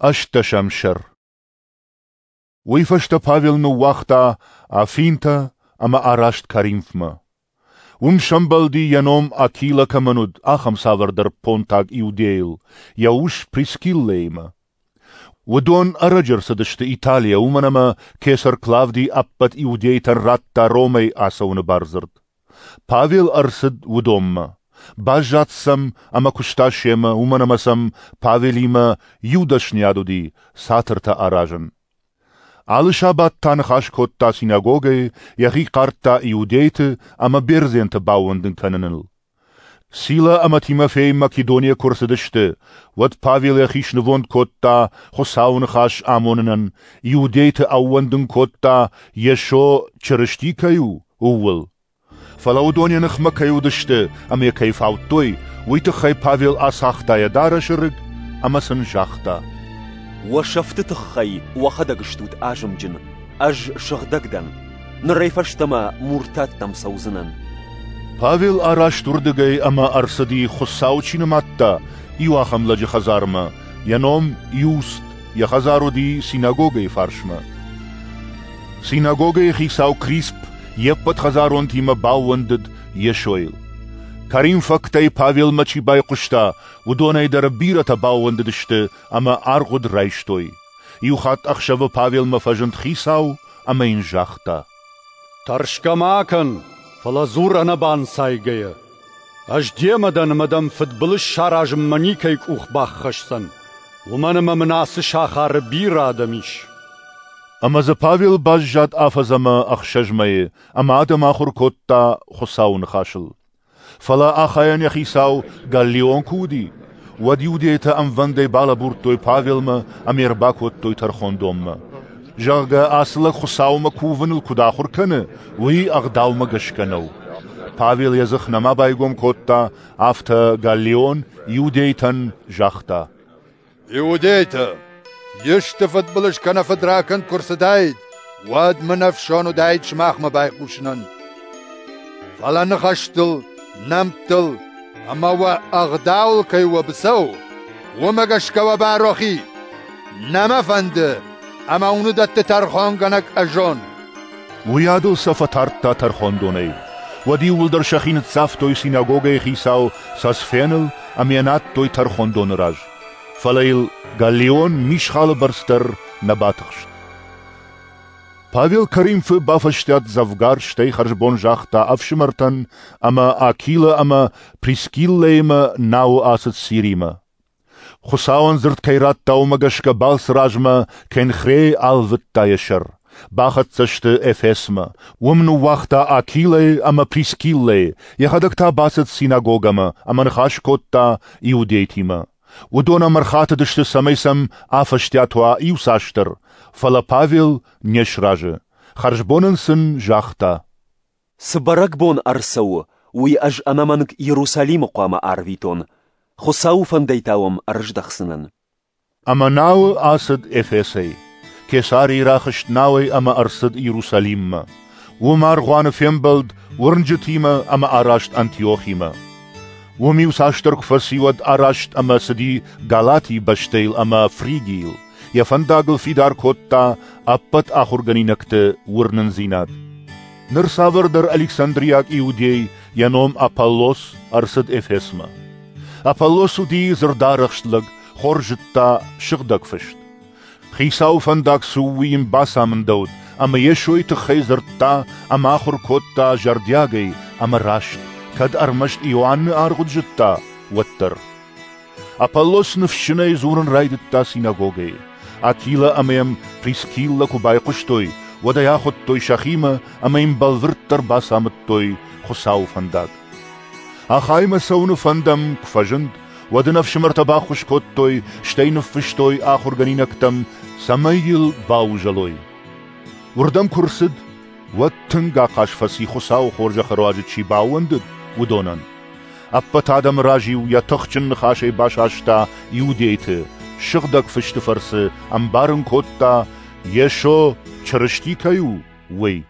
Ӕстдӕсӕм сӕр. Уый фӕстӕ Павел ныууагъта Афинтӕ ӕмӕ араст Коринфмӕ. Уым сӕмбӕлди, йӕ ном Акилӕ кӕмӕн уыд, ахӕм цавӕрдӕр понтаг иудейыл, йӕ ус Прискиллӕимӕ. Уыдон ӕрӕджы ӕрцыдысты Италийӕ, уымӕн ӕмӕ кесӕр Клавдий ӕппӕт иудейтӕн радта Ромӕй ацӕуыны бардзырд. Павел ӕрцыд уыдонмӕ. Баззад сӕм ӕмӕ куыста семӕ, уымӕн ӕмӕ сӕм Павелимӕ иу дӕсныйад уыди – цатыртӕ аразын. Алы сабат та ныхас кодта синагогӕйы, йӕхи хъардта иудейты ӕмӕ бердзенты баууӕндын кӕныныл. Сила ӕмӕ Тимофей Македонийӕ куы рцыдысты, уӕд Павел йӕхи снывонд кодта Хуыцауы ныхас амонынӕн, иудейты ӕууӕндын кодта, Йесо Чырысти кӕй у, ууыл. Фӕлӕ уыдон йӕ ныхмӕ кӕй уыдысты ӕмӕ йӕ кӕй фаудтой, уый тыххӕй Павел ацагъта йӕ дарӕсы рыг ӕмӕ сын загъта: Уӕ сӕфты тыххӕй уӕхӕдӕг стут азымджын, ӕз сыгъдӕг дӕн. Нырӕй фӕстӕмӕ муртаттӕм цӕудзынӕн. Павел араст уырдыгӕй ӕмӕ ӕрцыди, Хуыцау чи нымадта, иу ахӕм лӕджы хӕдзармӕ, йӕ ном Иуст, йӕ хӕдзар уыди синагогӕйы фарсмӕ. Синагогӕйы хицау Крисп йе ппӕт хӕдзаронтимӕ баууӕндыд Йесойыл. Коринфӕгтӕй Павелмӕ чи байхъуыста, уыдонӕй дӕр бирӕтӕ баууӕндыдысты ӕмӕ аргъуыд райстой. Иухатт ӕхсӕвы Павелмӕ фӕзынд хицау ӕмӕ йын загъта: Тӕрсгӕ ма кӕн, фӕлӕ дзур ӕнӕбанцайгӕйӕ. Ӕз демӕ дӕн ӕмӕ дӕм фыдбылыз саразынмӕ никӕй къух баххӕсдзӕн, уымӕн ӕмӕ мын ацы сахары бирӕ адӕм ис. Ӕмӕ дзы Павел баззад афӕдз ӕмӕ 6 мӕйы ӕмӕ адӕм ахуыр кодта Хуыцауы ныхасыл. Фӕлӕ Ахайӕн йӕ хицау Галлион куы уыди, уӕд иудейтӕ ӕмвӕндӕй балӕбурдтой Павелмӕ ӕмӕ йӕ ӕрбакодтой тӕрхондонмӕ. Зӕгъгӕ, ацы лӕг Хуыцаумӕ кувыныл куыд ахуыр кӕны, уый ӕгъдаумӕ гӕсгӕ нӕу. Павел йӕ дзых нӕма байгом кодта, афтӕ Галлион иудейтӕн загъта: Иудейтӕ, исты фыдбылыз кӕнӕ фыдракӕнд куы рцыдаид, уӕд мын ӕфсон уыдаид сымахмӕ байхъусынӕн. Фӕлӕ ныхӕстыл, нӕмттыл ӕмӕ уӕ ӕгъдауыл кӕй уӕ быцӕу, уымӕ гӕсгӕ уӕ байрох и. Нӕ мӕ фӕнды, ӕмӕ уыныдӕтты тӕрхонгӕнӕг ӕз уон. Уыйадыл сӕ фӕтардта тӕрхондонӕй. Уӕд иууылдӕр сӕхи ныццавтой синагогӕйы хицау Сосфеныл ӕмӕ йӕ надтой тӕрхондоны раз. Фӕлӕ йыл Галлион мисхалы бӕрц дӕр нӕ батыхст. Павел Коринфы бафӕстиат дзӕвгар, стӕй хӕрзбон загъта ӕфсымӕртӕн ӕмӕ Акилӕ ӕмӕ Прискиллӕимӕ науы ацыд Сиримӕ. Хуыцауӕн дзырд кӕй радта, уымӕ гӕсгӕ балцы размӕ Кенхрейы алвыдта йӕ сӕр. Бахӕццӕ сты Эфесмӕ. Уым ныууагъта Акилӕйы ӕмӕ Прискиллӕйы, йӕхӕдӕг та бацыд синагогӕмӕ ӕмӕ ныхас кодта иудейтимӕ. Уыдон ӕм ӕрхатыдысты, цӕмӕй сӕм афӕстиат уа иуцасдӕр, фӕлӕ Павел не сразы. Хӕрзбонӕн сын загъта: Цы бӕрӕгбон ӕрцӕуы, уый ӕз ӕнӕмӕнг Иерусалимы хъуамӕ арвитон. Хуыцауы фӕндӕй та уӕм ӕрыздӕхдзынӕн. Ӕмӕ науы ацыд Эфесӕй. Кесарийы рахызт науӕй ӕмӕ ӕрцыд Иерусалиммӕ. Уым аргъуаны фембӕлд уырнджытимӕ ӕмӕ араст Антиохимӕ. Уым иуцасдӕр куы фӕци, уӕд араст ӕмӕ цыди Галатийы бӕстӕйыл ӕмӕ Фригийыл. Йӕ фӕндагыл фидар кодта ӕппӕт ахуыргӕнинӕгты уырнындзинад. Ныр цавӕрдӕр александриаг иудей, йӕ ном Аполлос, ӕрцыд Эфесмӕ. Аполлос уыди дзырдарӕхст лӕг, хорз зыдта сыгъдӕг фыст. Хицауы фӕндаг цы у, уый йын бацамындӕуыд, ӕмӕ Йесойы тыххӕй дзырдта ӕмӕ ахуыр кодта зӕрдиагӕй ӕмӕ раст, кӕд ӕрмӕст Иоанны аргъуыд зыдта, уӕддӕр. Аполлос ныфсджынӕй дзурын райдыдта синагогӕйы. Акилӕ ӕмӕ йӕм Прискиллӕ куы байхъуыстой, уӕд ӕй ахуыдтой сӕхимӕ ӕмӕ йын бӕлвырддӕр бацамыдтой Хуыцауы фӕндаг. Ахаймӕ цӕуыны фӕнд ӕм куы фӕзынд, уӕд ын ӕфсымӕртӕ баххуыс кодтой, стӕй ныффыстой ахуыргӕнинӕгтӕм, цӕмӕй йыл баузӕлой. Уырдӕм куы рцыд, уӕд тынг ахъаз фӕци Хуыцауы хорзӕхы руаджы чи баууӕндыд, уыдонӕн. Ӕппӕт адӕмы раз-иу йӕ тыхджын ныхасӕй басаста иудейты, сыгъдӕг фысты фӕрцы ӕмбарын кодта, Йесо Чырысти кӕй у, уый.